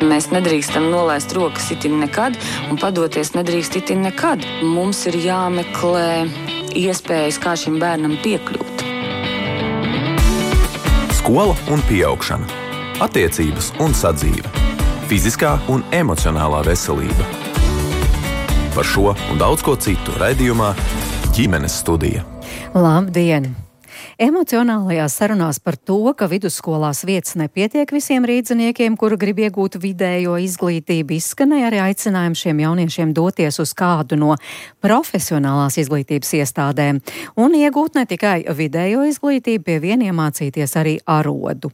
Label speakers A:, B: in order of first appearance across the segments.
A: Mēs nedrīkstam nolaist rokas itin nekad un padoties nedrīkst itin nekad. Mums ir jāmeklē iespējas, kā šim bērnam piekļūt.
B: Skola un pieaugšana, attiecības un sadzīve, fiziskā un emocionālā veselība. Par šo un daudz ko citu raidījumā Ģimenes studija.
C: Labdien! Emocionālajās sarunās par to, ka vidusskolās vietas nepietiek visiem rīdziniekiem, kuri grib iegūt vidējo izglītību, izskanēja arī aicinājumi šiem jauniešiem doties uz kādu no profesionālās izglītības iestādēm un iegūt ne tikai vidējo izglītību, pie vien iemācīties arī arodu.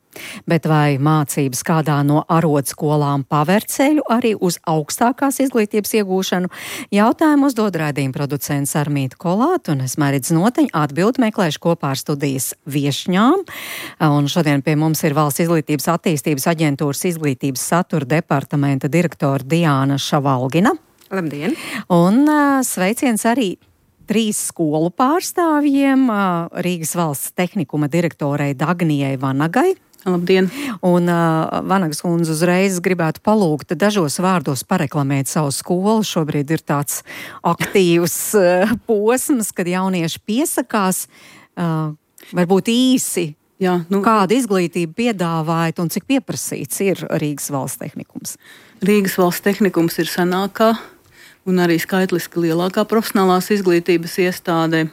C: Bet vai mācības kādā no arodskolām paver ceļu arī uz augstākās izglītības iegūšanu? Jautājumu uzdod raidījuma producents Armīta Kolāte, un es Mairidz Noteņa atbildi meklēšu kopā ar studijas viešņām. Un šodien pie mums ir Valsts izglītības attīstības aģentūras izglītības satura departamenta direktore Diāna Šavalgina.
D: Labdien!
C: Un sveiciens arī 3 skolu pārstāvjiem, Rīgas valsts tehnikuma direktorei Dagnijai Vanagai.
D: Labdien!
C: Un Vanagas kundze uzreiz gribētu palūgt dažos vārdos pareklamēt savu skolu. Šobrīd ir tāds aktīvs posms, kad jaunieši piesakās. Varbūt īsi, kādu izglītību piedāvājat un cik pieprasīts ir Rīgas valsts tehnikums?
D: Rīgas valsts tehnikums ir senākā un arī skaitliski lielākā profesionālās izglītības iestāde.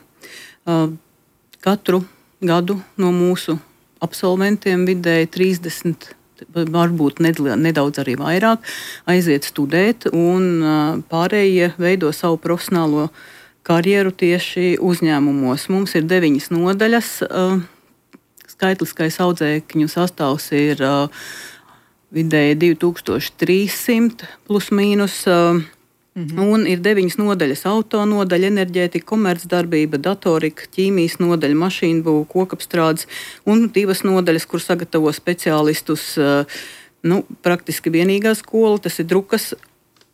D: Katru gadu no mūsu absolventiem vidēji 30, varbūt nedaudz arī vairāk, aiziet studēt, un pārējie veido savu profesionālo karjeru tieši uzņēmumos. Mums ir 9 nodaļas. Skaitliskais audzēkņu sastāvs ir vidēji 2300 plus mīnus. Un ir 9 nodaļas: auto nodaļa, enerģētika, komercdarbība, datorika, ķīmijas nodaļa, mašīnbūve, kokapstrādes un 2 nodaļas, kur sagatavo speciālistus. Praktiski vienīgā skola, tas ir drukas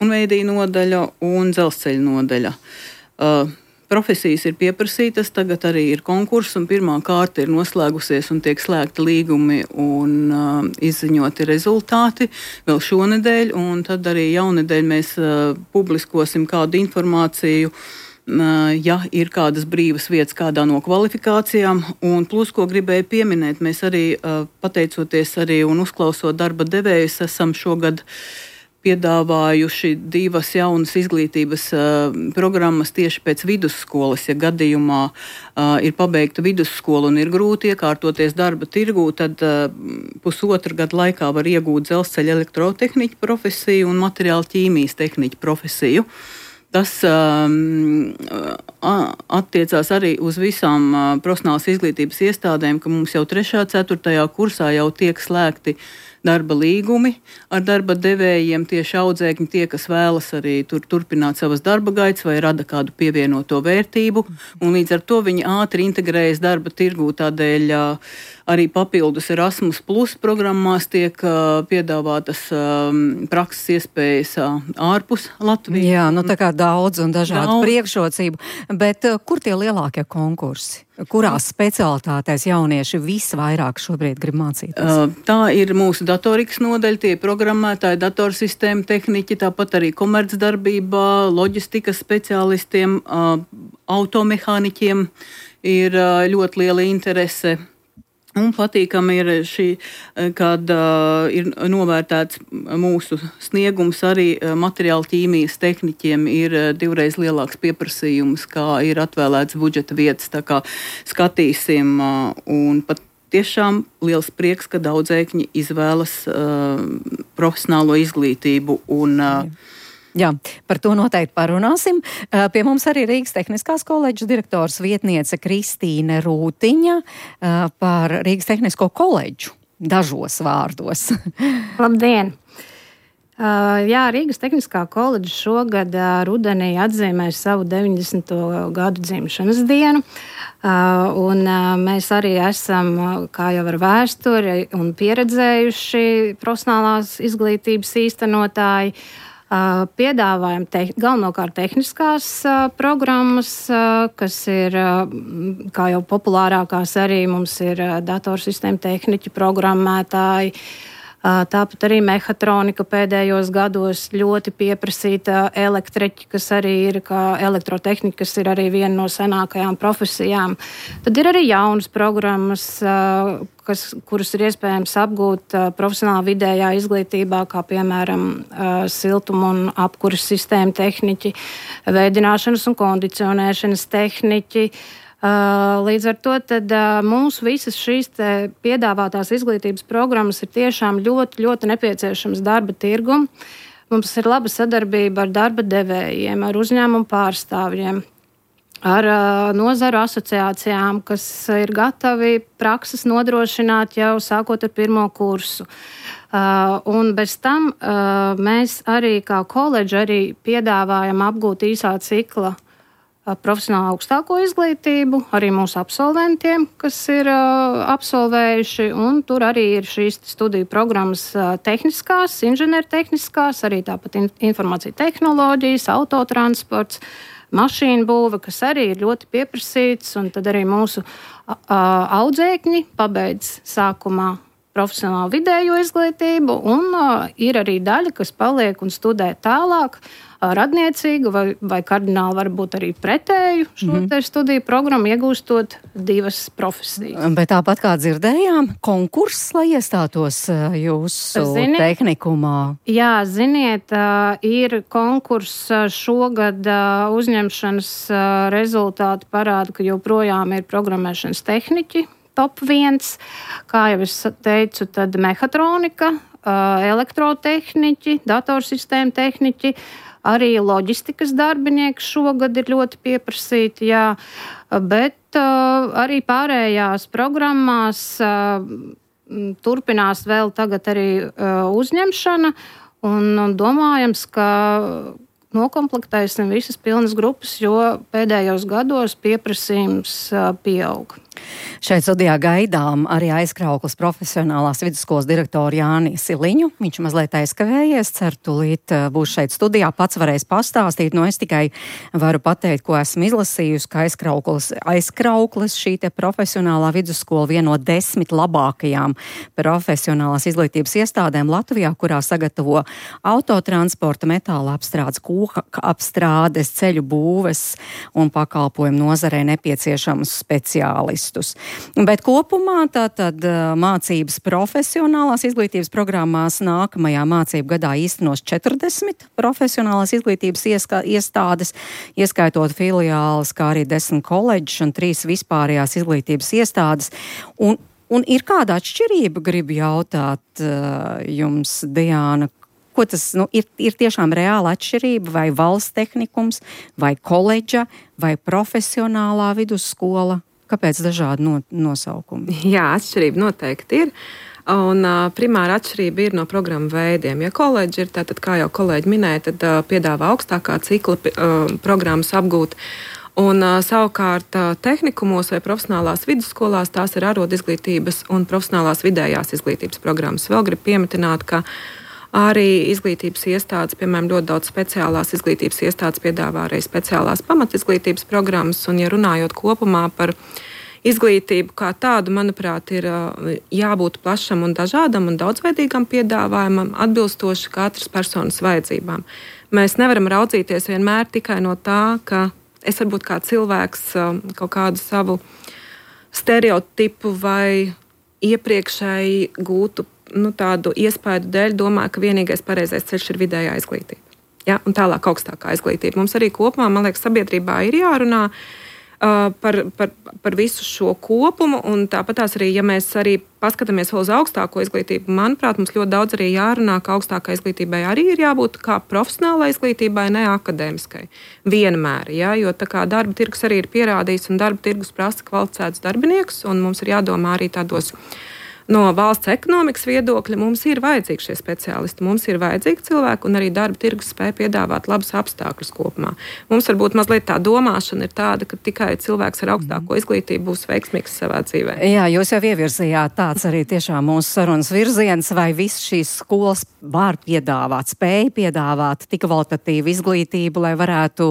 D: un veidīja nodaļa un dzelzceļa nodaļa. Profesijas ir pieprasītas, tagad arī ir konkurss, un pirmā kārta ir noslēgusies un tiek slēgti līgumi un izziņoti rezultāti vēl šonedēļ, un tad arī jaunedēļ mēs publiskosim kādu informāciju, ja ir kādas brīvas vietas kādā no kvalifikācijām. Un plus, ko gribēju pieminēt, mēs arī pateicoties arī un uzklausot darba devējus, esam šogad piedāvājuši 2 jaunas izglītības programmas tieši pēc vidusskolas. Ja gadījumā ir pabeigta vidusskola un ir grūti iekārtoties darba tirgū, tad pusotru gadu laikā var iegūt dzelzceļa elektrotehniķa profesiju un materiāla ķīmijas tehniķa profesiju. Tas attiecās arī uz visām profesionālās izglītības iestādēm, ka mums jau 3. 4. kursā jau tiek slēgti darba līgumi ar darba devējiem, tieši audzēkņi, tie, kas vēlas arī turpināt savas darba gaitas vai rada kādu pievienoto vērtību, un līdz ar to viņi ātri integrējas darba tirgū. Tādēļ arī papildus Erasmus Plus programmās tiek piedāvātas prakses iespējas ārpus Latvijas.
C: Jā, tā kā daudz un dažādu priekšrocību, bet kur tie lielākie konkursi? Kurās specialitātēs jaunieši visvairāk šobrīd grib mācīties?
D: Tā ir mūsu datorikas nodaļa, tie programmētāji, datorsistēma tehniķi, tāpat arī komercdarbībā, loģistikas speciālistiem, automehāniķiem ir ļoti liela interese. Un patīkami ir šī, kad ir novērtēts mūsu sniegums arī materiāla ķīmijas tehniķiem, ir 2 lielāks pieprasījums, kā ir atvēlēts budžeta vietas. Tā kā skatīsim, un pat tiešām liels prieks, ka audzēkņi izvēlas profesionālo izglītību un
C: Jā, par to noteikti parunāsim. Pie mums arī Rīgas Tehniskās koledžas direktors vietniece Kristīne Rūtiņa par Rīgas Tehnisko koledžu dažos vārdos.
E: Labdien! Jā, Rīgas Tehniskā koledža šogad rudenī atzīmēs savu 90. gadu dzimšanas dienu. Un mēs arī esam, kā jau ar vēsturi un pieredzējuši profesionālās izglītības īstenotāji, piedāvājam galvenokārt tehniskās programmas, kas ir, kā jau populārākās arī mums ir datorsistēma tehniķi, programmētāji, Tāpat arī mehatronika pēdējos gados ļoti pieprasīta, elektriķi, kas arī ir, kā elektrotehnika, kas ir arī viena no senākajām profesijām. Tad ir arī jaunas programmas, kuras ir iespējams apgūt profesionālā vidējā izglītībā, kā piemēram siltuma un apkuras sistēma tehniķi, veidināšanas un kondicionēšanas tehniķi. Līdz ar to tad mūsu visas šīs piedāvātās izglītības programmas ir tiešām ļoti, ļoti nepieciešams darba tirgum. Mums ir laba sadarbība ar darba devējiem, ar uzņēmumu pārstāvjiem, ar nozaru asociācijām, kas ir gatavi prakses nodrošināt jau sākot ar pirmo kursu. Un bez tam mēs arī kā koledži arī piedāvājam apgūt īsā cikla profesionālu augstāko izglītību, arī mūsu absolventiem, kas ir absolvējuši, un tur arī ir šīs studiju programmas tehniskās, inženiertehniskās, arī tāpat informācija tehnoloģijas, autotransports, mašīnu būve, kas arī ir ļoti pieprasīts, un tad arī mūsu audzēkņi pabeidz sākumā profesionālu vidējo izglītību, un ir arī daļa, kas paliek un studē tālāk, radniecīgu vai kardināli varbūt arī pretēju šo studiju programmu, iegūstot 2 profesijas.
C: Bet tāpat kā dzirdējām, konkurss, lai iestātos jūsu tehnikumā.
E: Jā, ziniet, ir konkurss šogad uzņemšanas rezultāti parāda, ka joprojām ir programmēšanas tehniķi top 1, kā jau es teicu, tad mehatronika, elektrotehniķi, datorsistēma tehniķi, arī loģistikas darbinieki šogad ir ļoti pieprasīti, jā, bet arī pārējās programmās turpinās vēl tagad arī uzņemšana, un domājams, ka nokomplektēsim visas pilnas grupas, jo pēdējos gados pieprasījums pieaug.
C: Šeit studijā gaidām arī Aizkraukles profesionālās vidusskolas direktoru Jāni Siliņu. Viņš mazliet aizkavējies, ceru tūlīt būs šeit studijā, pats varēs pastāstīt. Es tikai varu pateikt, ko esmu izlasījusi, ka Aizkraukles šī te profesionālā vidusskola viena no 10 labākajām profesionālās izglītības iestādēm Latvijā, kurā sagatavo autotransporta, metāla apstrādes, koka apstrādes, ceļu būves un pakalpojumu nozarē nepieciešamus speciālistus. Bet kopumā tātad mācības profesionālās izglītības programmās nākamajā mācību gadā īstenos 40 profesionālās izglītības iestādes, ieskaitot filiāles, kā arī 10 koledžas un 3 vispārējās izglītības iestādes. Un ir kāda atšķirība, gribu jautāt jums, Diāna, ko tas ir tiešām reāla atšķirība, vai valsts tehnikums, vai koledža, vai profesionālā vidusskola? Kāpēc dažādi nosaukumi?
F: Jā, atšķirība noteikti ir. Un primāra atšķirība ir no programmu veidiem. Ja koledži ir, tātad, kā jau kolēģi minēja, tad piedāvā augstākā cikla programmas apgūt. Un savukārt tehnikumos vai profesionālās vidusskolās tās ir arodizglītības un profesionālās vidējās izglītības programmas. Vēl gribu piemetināt, ka arī izglītības iestādes, piemēram, ļoti daudz speciālās izglītības iestādes piedāvā arī speciālās pamatizglītības programmas. Un, ja runājot kopumā par izglītību kā tādu, manuprāt, ir jābūt plašam un dažādam un daudzveidīgam piedāvājumam, atbilstoši katras personas vajadzībām. Mēs nevaram raudzīties vienmēr tikai no tā, ka es varbūt kā cilvēks kaut kādu savu stereotipu vai iepriekšēji gūtu tādu iespēju dēļ domāju, ka vienīgais pareizais ceļš ir vidējā izglītība. Ja? Un tālāk augstākā izglītība. Mums arī kopumā, man liekas, sabiedrībā ir jārunā par visu šo kopumu, un tāpatās arī, ja mēs arī paskatāmies vēl uz augstāko izglītību, manuprāt, mums ļoti daudz arī jārunā, ka augstākai izglītībai arī ir jābūt kā profesionālai izglītībai, ne akadēmiskai. Vienmēr, ja? Jo tā kā darba tirgus arī ir pierādījis, un darba tirgus prasa kvalificētus darbiniekus, un mums ir jādomā arī tādos no valsts ekonomikas viedokļa, mums ir vajadzīgi šie speciālisti, mums ir vajadzīgi cilvēki, un arī darba tirgus spēj piedāvāt labus apstākļus kopumā. Mums varbūt mazliet tā domāšana ir tāda, ka tikai cilvēks ar augstāko izglītību būs veiksmīgs savā dzīvē.
C: Jā, jūs jau ievirzījāt tāds arī tiešām mūsu sarunas virziens, vai viss šīs skolas var piedāvāt, spēj piedāvāt tik kvalitatīvu izglītību, lai varētu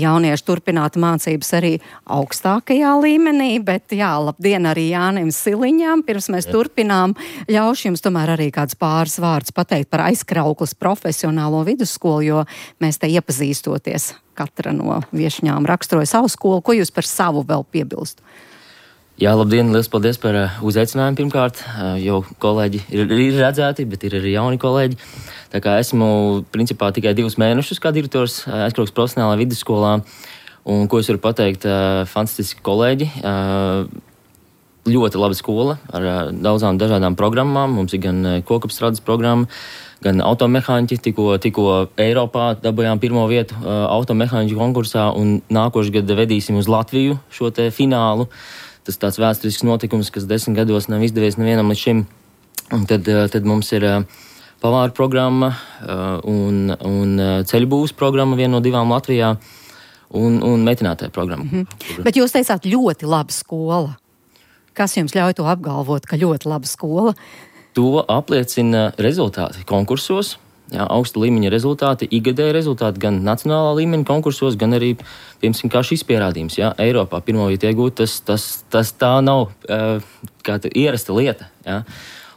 C: jaunieši turpināt mācības arī augstākajā līmenī, bet jā, labdien arī Jānim Siliņam, pirms mēs turpinām turpinām. Ļaušu jums tomēr arī kāds pāris vārdus pateikt par Aizkraukles profesionālo vidusskolu, jo mēs te iepazīstoties, katra no viešņām raksturoja savu skolu. Ko jūs par savu vēl piebilst?
G: Jā, labdien, liels paldies par uzaicinājumu pirmkārt, jo kolēģi ir redzēti, bet ir arī jauni kolēģi. Tā kā esmu principā tikai 2 mēnešus kā direktors Aizkraukles profesionālā vidusskolā, un ko es varu pateikt, fantastiski kolēģi, ļoti laba skola ar daudzām dažādām programmām. Mums ir gan kokapstrādes programma, gan automehāniķi, tikko Eiropā dabūjām 1. vietu automehāniķu konkursā, un nākošu gadu vedīsim uz Latviju šo te finālu. Tas tāds vēsturisks notikums, kas 10 gados nav izdevies nevienam līdz šim. Un tad mums ir pavāru programma un ceļbūvas programma, viena no 2 Latvijā, un metinātāja programma.
C: Bet jūs teicāt ļoti laba skola. Kas jums ļauj to apgalvot, ka ļoti laba skola?
G: To apliecina rezultāti konkursos. Jā, augsta līmeņa rezultāti, ikgadēja rezultāti gan nacionālā līmeņa konkursos, gan arī, piemēram, kā šis pierādījums. Jā, Eiropā 1. vietu iegūt, tas tā nav ierasta lieta. Jā.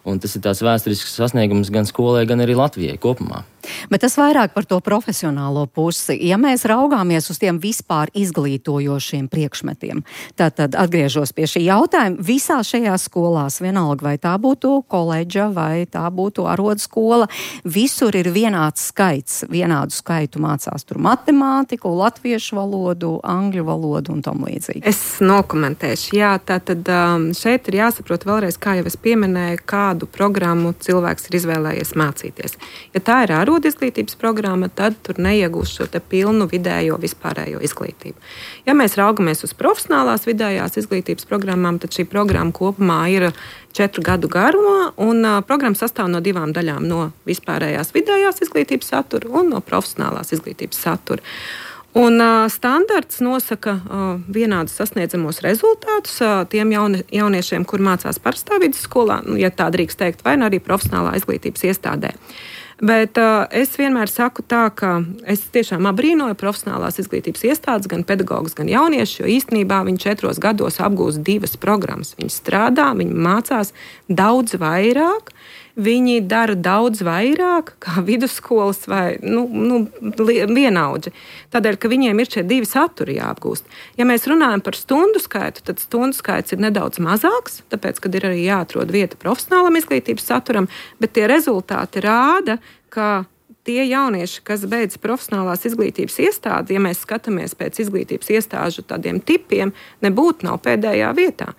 G: Un tas ir tāds vēsturisks sasniegums gan skolai, gan arī Latvijai kopumā.
C: Bet tas vairāk par to profesionālo pusi. Ja mēs raugāmies uz tiem vispār izglītojošiem priekšmetiem, tad atgriežos pie šī jautājuma. Visās šajās skolās, vienalga vai tā būtu koledža vai tā būtu arodskola, visur ir vienāds skaits. Vienādu skaitu mācās tur matemātiku, latviešu valodu, angļu valodu un tam līdzīgi.
F: Es nokomentēšu. Jā, tātad šeit ir jāsaprot vēlreiz, kā jau es pieminēju, kādu programmu cilvēks ir izvēlējies mācīties. Ja tā ir izglītības programma, tad tur neiegūs šo te pilnu vidējo vispārējo izglītību. Ja mēs raugamies uz profesionālās vidējās izglītības programmām, tad šī programma kopumā ir 4 gadu garumā, un programma sastāv no 2 daļām, no vispārējās vidējās izglītības satura un no profesionālās izglītības satura. Un standarts nosaka vienādus sasniedzamos rezultātus tiem jauniešiem, kur mācās parastā vidusskolā, ja tā drīkst teikt, vai arī profesionālā izglītības iestādē. Bet es vienmēr saku tā, ka es tiešām abrīnoju profesionālās izglītības iestādes, gan pedagogus, gan jauniešus, jo īstenībā viņi 4 gados apgūst 2 programmas. Viņi strādā, viņi mācās daudz vairāk, viņi dara daudz vairāk kā vidusskolas vai vienaudži. Tādēļ, ka viņiem ir šie 2 saturi jāapgūst. Ja mēs runājam par stundu skaitu, tad stundu skaits ir nedaudz mazāks, tāpēc, kad ir arī jāatrod vieta profesionālam izglītības saturam, bet tie rezultāti rāda, ka tie jaunieši, kas beidz profesionālās izglītības iestādi, ja mēs skatāmies pēc izglītības iestāžu tādiem tipiem, nebūtu nav pēdējā vietā.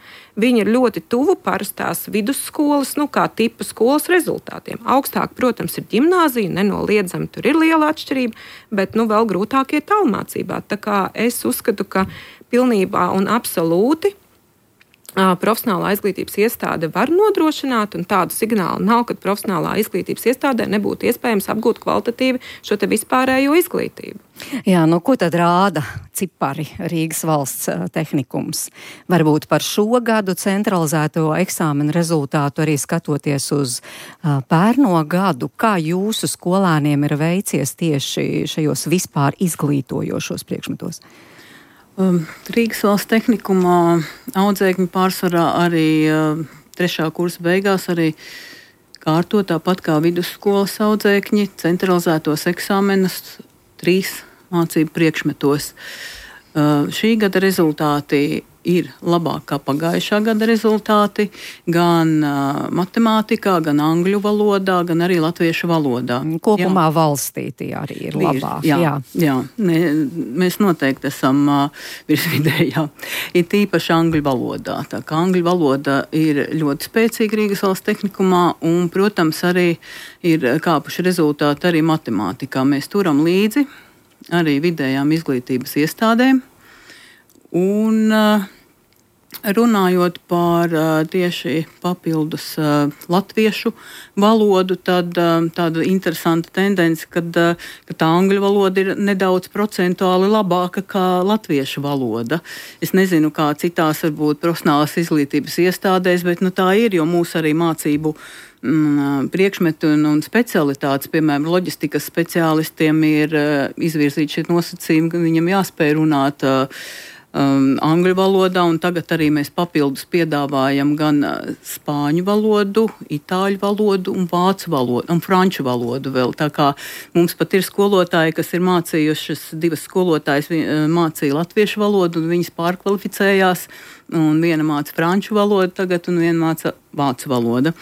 F: Viņi ir ļoti tuvu parastās vidusskolas, kā tipa skolas rezultātiem. Augstāk, protams, ir ģimnāzija, nenoliedzami tur ir liela atšķirība, bet vēl grūtāk ir tālmācībā. Tā kā es uzskatu, ka pilnībā un absolūti profesionālā izglītības iestāde var nodrošināt, un tādu signālu nav, ka profesionālā izglītības iestādē nebūtu iespējams apgūt kvalitatīvi šo te vispārējo izglītību.
C: Jā, ko tad rāda cipari Rīgas valsts tehnikums? Varbūt par šo gadu centralizēto eksāmenu rezultātu arī skatoties uz pērno gadu, kā jūsu skolēniem ir veicies tieši šajos vispār izglītojošos priekšmetos?
D: Rīgas valsts tehnikumā audzēkņi pārsvarā arī 3. kursa beigās arī kārto tāpat kā vidusskolas audzēkņi centralizētos eksāmenus 3 mācību priekšmetos. Šī gada rezultāti ir labāk kā pagājušā gada rezultāti gan matemātikā, gan angļu valodā, gan arī latviešu valodā.
C: Kopumā valstī tie arī ir labāk.
D: Jā. Mēs noteikti esam virsvidējā. Ir tīpaši angļu valodā. Tā kā angļu valoda ir ļoti spēcīga Rīgas valsts tehnikumā un, protams, arī ir kāpuši rezultāti arī matemātikā. Mēs turam līdzi arī vidējām izglītības iestādēm. Un runājot par tieši papildus latviešu valodu, tad tāda interesanta tendence, ka tā angļu valoda ir nedaudz procentuāli labāka kā latviešu valoda. Es nezinu, kā citās varbūt profesionālās izglītības iestādēs, bet tā ir, jo mūsu arī mācību priekšmetu un specialitātes, piemēram, loģistikas speciālistiem ir izvirzīti šie nosacījumi, ka viņam jāspēj runāt angļu valodā, un tagad arī mēs papildus piedāvājam gan spāņu valodu, itāļu valodu un vācu valodu un franču valodu vēl. Tā kā mums pat ir skolotāji, kas ir mācījušas, 2 skolotājas mācīja latviešu valodu, un viņas pārkvalificējās, un viena māca franču valodu tagad, un viena māca vācu valodu.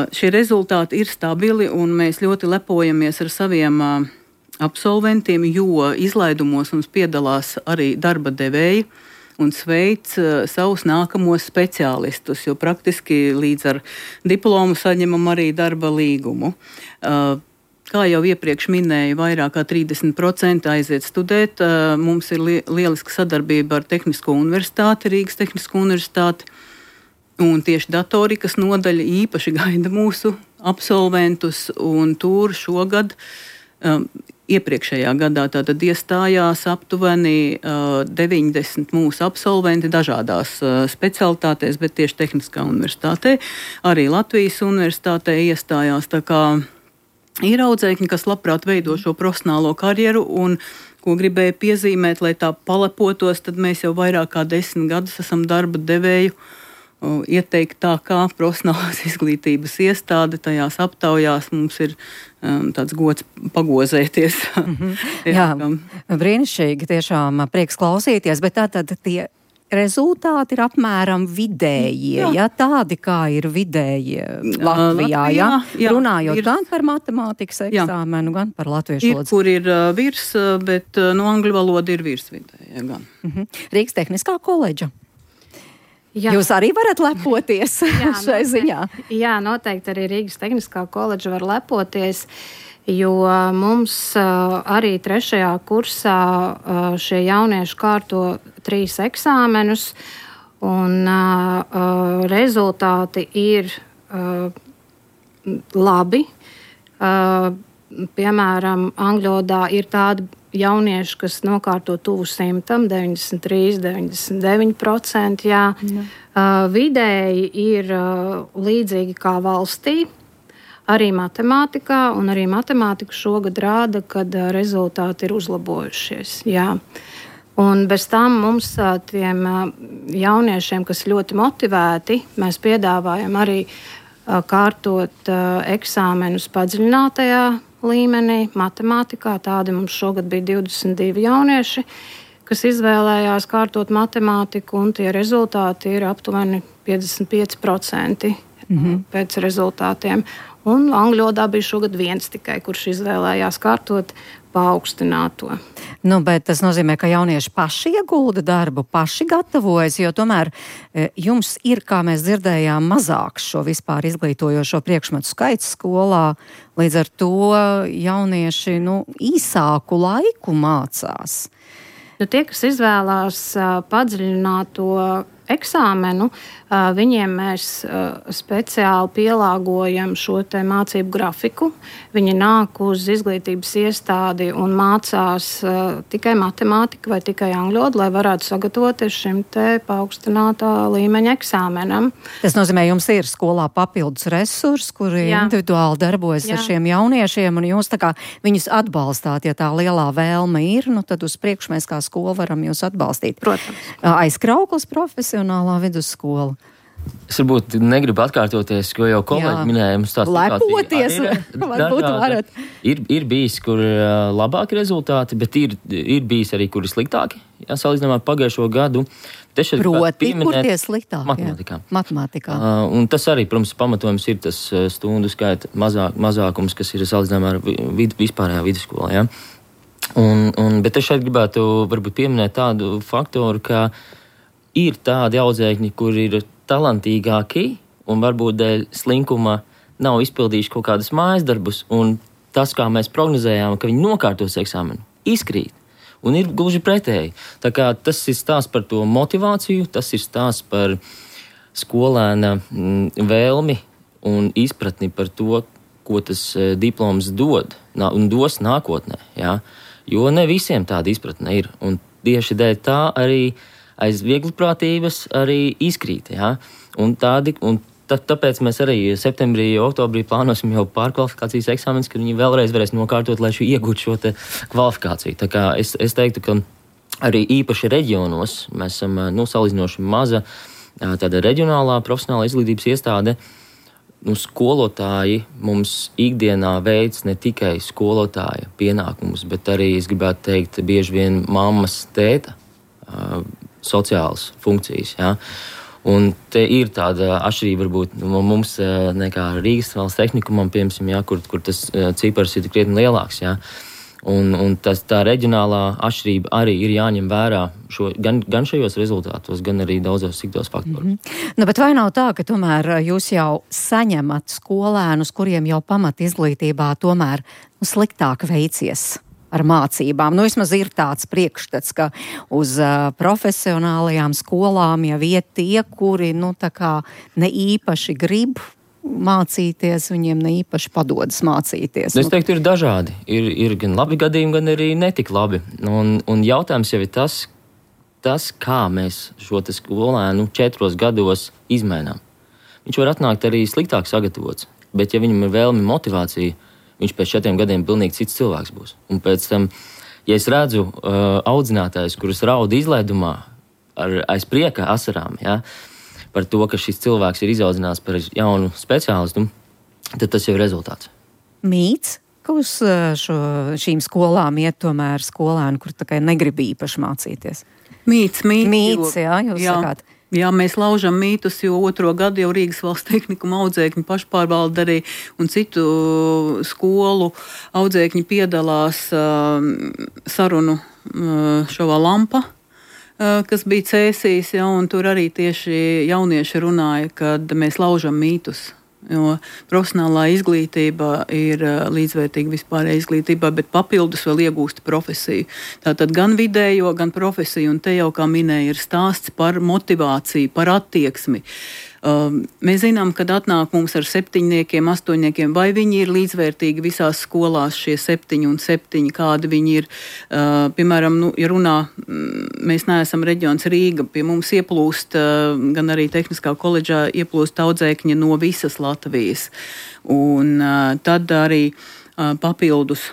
D: Šie rezultāti ir stabili, un mēs ļoti lepojamies ar saviem absolventiem, jo izlaidumos mums piedalās arī darba devēji un sveic savus nākamos speciālistus, jo praktiski līdz ar diplomu saņemam arī darba līgumu. Kā jau iepriekš minēju, vairāk kā 30% aiziet studēt. Mums ir lieliska sadarbība ar Tehnisko universitāti, Rīgas Tehnisko universitāti, un tieši datorikas nodaļa īpaši gaida mūsu absolventus, un tur šogad iepriekšējā gadā tātad iestājās aptuveni 90 mūsu absolventi dažādās specialitātēs, bet tieši Tehniskā universitātē, arī Latvijas universitātē iestājās. Tā kā ir audzēkņi, kas labprāt veido šo profesionālo karjeru, un ko gribēju piezīmēt, lai tā palepotos, tad mēs jau vairāk kā 10 gadus esam darba devēju ieteikt tā kā profesionālās izglītības iestāde. Tajās aptaujās mums ir tāds gods pagozēties.
C: Jā, brīnišķīgi, tiešām prieks klausīties, bet tātad tie rezultāti ir apmēram vidējie, ja tādi kā ir vidējie Latvijā, ja? Runājot gan par matemātikas eksāmenu, gan par latviešu valodu.
D: Ir, kur ir virs, bet no angļu valoda ir virs vidējie gan.
C: Rīgas Tehniskā koledža. Jā. Jūs arī varat lepoties šai ziņā?
E: Jā, noteikti arī Rīgas Tehniskā koledža var lepoties, jo mums arī 3. kursā šie jaunieši kārto 3 eksāmenus, un rezultāti ir labi. Piemēram, angļodā ir tādi jaunieši, kas nokārto tuvu 100, 93, 99%. Jā. Vidēji ir līdzīgi kā valstī, arī matemātikā, un arī matemātika šogad rāda, kad rezultāti ir uzlabojušies. Jā. Un bez tam mums tiem jauniešiem, kas ļoti motivēti, mēs piedāvājam arī kārtot eksāmenus padziļinātajā līmenī, matemātikā. Tādi mums šogad bija 22 jaunieši, kas izvēlējās kārtot matemātiku, un tie rezultāti ir aptuveni 55% pēc rezultātiem. Un angļodā bija šogad 1 tikai, kurš izvēlējās kārtot paaugstināto.
C: Nu, bet tas nozīmē, ka jaunieši paši iegulda darbu, paši gatavojas, jo tomēr jums ir, kā mēs dzirdējām, mazāks šo vispār izglītojošo priekšmetu skaits skolā. Līdz ar to jaunieši īsāku laiku mācās.
E: Tie, kas izvēlās padziļināto eksāmenu, viņiem mēs speciāli pielāgojam šo te mācību grafiku. Viņi nāk uz izglītības iestādi un mācās tikai matemātiku vai tikai angļodu, lai varētu sagatavoties šim te paaugstinātā līmeņa eksāmenam.
C: Tas nozīmē, jums ir skolā papildus resursi, kuri individuāli darbojas ar šiem jauniešiem, un jūs tā kā viņus atbalstāt, ja tā lielā vēlme ir, tad uz priekšu mēs kā skola varam jūs atbalstīt.
E: Protams.
C: Aizkrauklas profesionālā vidusskola.
G: Es varbūt negribu atkārtoties, ko jau kolēģi minēja.
C: Lepoties, varbūt varat.
G: Ir bijis, kur labāki rezultāti, bet ir bijis arī, kuri sliktāki. Salīdzinājumā ar pagājušo gadu.
C: Proti, kur tie sliktāki?
G: Matemātikā. Un tas arī, protams, pamatojums ir tas stundu skaita mazākums, kas ir salīdzinājumā ar vispārējā vidusskolā. Ja? Bet es šeit gribētu varbūt pieminēt tādu faktoru, ka ir tādi audzēkņi, kur ir talantīgāki un varbūt dēļ slinkuma nav izpildījuši kaut kādas mājas darbus, un tas, kā mēs prognozējām, ka viņi nokārtos eksāmenu, izkrīt. Un ir gluži pretēji. Tā kā tas ir stāsts par to motivāciju, tas ir stāsts par skolēna vēlmi un izpratni par to, ko tas diploms dod un dos nākotnē. Ja? Jo ne visiem tāda izpratne ir. Un tieši dēļ tā arī aiz viegliprātības arī izkrīt. Ja? Tāpēc mēs arī septembrī, oktobrī plānosim jau pārkvalifikācijas eksāmenus, kad viņi vēlreiz varēs nokārtot, lai iegūtu šo kvalifikāciju. Tā kā es teiktu, ka arī īpaši reģionos. Mēs esam salīdzinoši maza tāda reģionālā profesionāla izglītības iestāde. Skolotāji mums ikdienā veic ne tikai skolotāja pienākumus, bet arī, es gribētu teikt, bieži vien mammas, tēta sociālas funkcijas. Ja? Un te ir tāda atšķirība varbūt mums nekā Rīgas valsts tehnikumam, piemēram, ja, kur tas cipars ir krietni lielāks. Ja? Un tā reģionālā atšķirība arī ir jāņem vērā gan šajos rezultātos, gan arī daudzos citos faktoros.
C: Bet vai nav tā, ka tomēr jūs jau saņemat skolēnus, kuriem jau pamat izglītībā tomēr sliktāk veicies ar mācībām? Vismaz ir tāds priekšstats, ka uz profesionālajām skolām jau iet tie, kuri tā kā ne īpaši grib mācīties, viņiem ne īpaši padodas mācīties.
G: Es teiktu, ir dažādi. Ir gan labi gadījumi, gan arī netik labi. Un jautājums jau ir tas, kā mēs šo skolēnu 4 gados izmainām. Viņš var atnākt arī sliktāk sagatavots, bet ja viņam ir vēlme motivācija, viņš pēc 4 gadiem pilnīgi cits cilvēks būs. Un pēc tam, ja es redzu audzinātājus, kurus raud izlaidumā aiz prieka asarām, ja, par to, ka šis cilvēks ir izaudzināts par jaunu speciālistu, tad tas jau ir rezultāts.
C: Mīts, ka uz šīm skolām iet tomēr skolēni, kur tā kā negrib īpaši mācīties?
D: Mīts,
C: jā, jūs sakāt.
D: Jā, mēs laužam mītus, jo 2. gadu jau Rīgas valsts tehnikuma audzēkņu pašpārvalde arī un citu skolu audzēkņi piedalās sarunu šovā Lampa, kas bija Cēsīs, ja, un tur arī tieši jaunieši runāja, kad mēs laužam mītus. Jo profesionālā izglītība ir līdzvērtīga vispārējai izglītībai, bet papildus vēl iegūst profesiju. Tātad gan vidējo, gan profesiju, un te jau, kā minēja, ir stāsts par motivāciju, par attieksmi. Mēs zinām, kad atnāk mums ar 7, 8, vai viņi ir līdzvērtīgi visās skolās, šie 7 un 7, kādi viņi ir. Piemēram, ja runā, mēs neesam reģions Rīga, pie mums ieplūst, gan arī Tehniskā koledžā ieplūst audzēkņi no visas Latvijas. Un tad arī papildus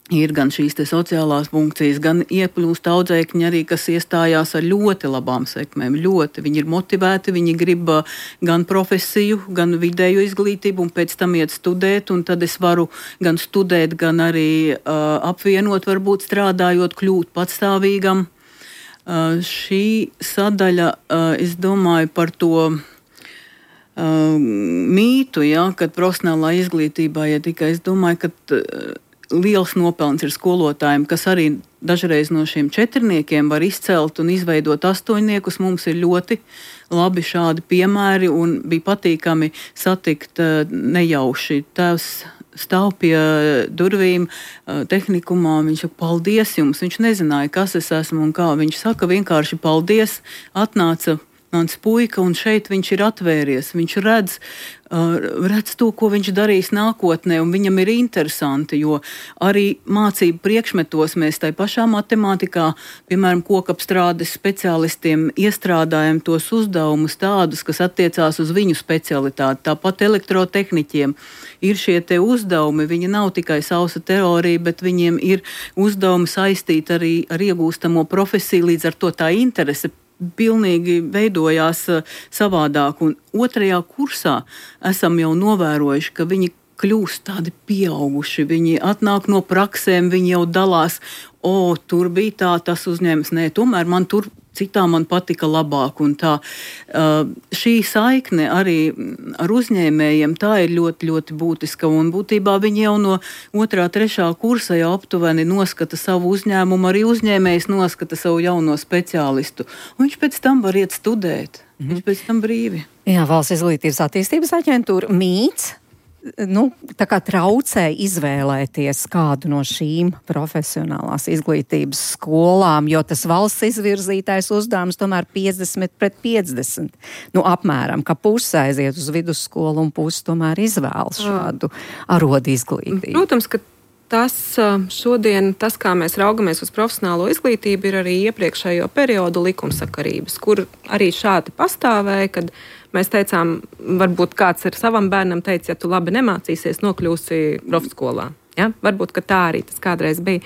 D: ir gan šīs te sociālās funkcijas, gan ieplūst audzēkņi arī, kas iestājās ar ļoti labām sekmēm. Viņi ir motivēti, viņi grib gan profesiju, gan vidējo izglītību, un pēc tam iet studēt, un tad es varu gan studēt, gan arī apvienot, varbūt strādājot, kļūt patstāvīgam. Šī sadaļa, es domāju par to mītu, ja, kad profesionālā izglītībā, ja tikai es domāju, ka liels nopelns ir skolotājiem, kas arī dažreiz no šiem 4 var izcelt un izveidot 8. Mums ir ļoti labi šādi piemēri un bija patīkami satikt nejauši. Tēvs stāv pie durvīm tehnikumā, viņš saka, paldies jums. Viņš nezināja, kas es esmu un kā. Viņš saka vienkārši paldies, atnāca mans puika, un šeit viņš ir atvēries. Viņš redz to, ko viņš darīs nākotnē, un viņam ir interesanti, jo arī mācību priekšmetos mēs tai pašā matemātikā, piemēram, kokapstrādes speciālistiem iestrādājam tos uzdevumus tādus, kas attiecās uz viņu specialitāti. Tāpat elektrotehniķiem ir šie te uzdevumi, viņi nav tikai sausa teorija, bet viņiem ir uzdevumi saistīti arī ar iegūstamo profesiju, līdz ar to tā interese pilnīgi veidojās savādāk. Un 2. kursā esam jau novērojuši, ka viņi kļūst tādi pieauguši. Viņi atnāk no praksēm, viņi jau dalās, tur bija tā, tas uzņēmums, tomēr man tur citā man patika labāk. Un tā, šī saikne arī ar uzņēmējiem, tā ir ļoti, ļoti būtiska. Un būtībā viņi jau no 2., 3. kursa jau aptuveni noskata savu uzņēmumu, arī uzņēmējs noskata savu jauno speciālistu. Un viņš pēc tam var iet studēt. Viņš pēc tam brīvi.
C: Jā, Valsts izglītības attīstības aģentūra mīts. Tā kā traucē izvēlēties kādu no šīm profesionālās izglītības skolām, jo tas valsts izvirzītais uzdevums tomēr 50/50. Apmēram, ka puse aiziet uz vidusskolu un puse tomēr izvēlas šādu arodu izglītību.
F: Protams, ka šodien, kā mēs raugamies uz profesionālo izglītību, ir arī iepriekšējo periodu likumsakarības, kur arī šādi pastāvēja, kad mēs teicām, varbūt kāds ar savam bērnam teica, ja tu labi nemācīsies, nokļūsi profskolā. Ja? Varbūt, ka tā arī tas kādreiz bija.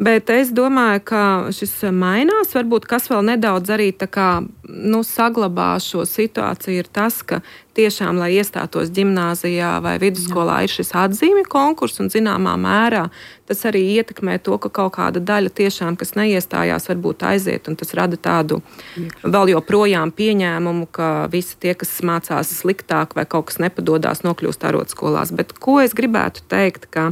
F: Bet es domāju, ka šis mainās. Varbūt kas vēl nedaudz arī tā kā, saglabā šo situāciju ir tas, ka tiešām, lai iestātos ģimnāzijā vai vidusskolā, ir šis atzīmju konkurss un zināmā mērā tas arī ietekmē to, ka kaut kāda daļa tiešām, kas neiestājās, varbūt aiziet, un tas rada tādu vēl joprojām pieņēmumu, ka visi tie, kas mācās sliktāk vai kaut kas nepadodās, nokļūst arotskolās. Bet ko es gribētu teikt, ka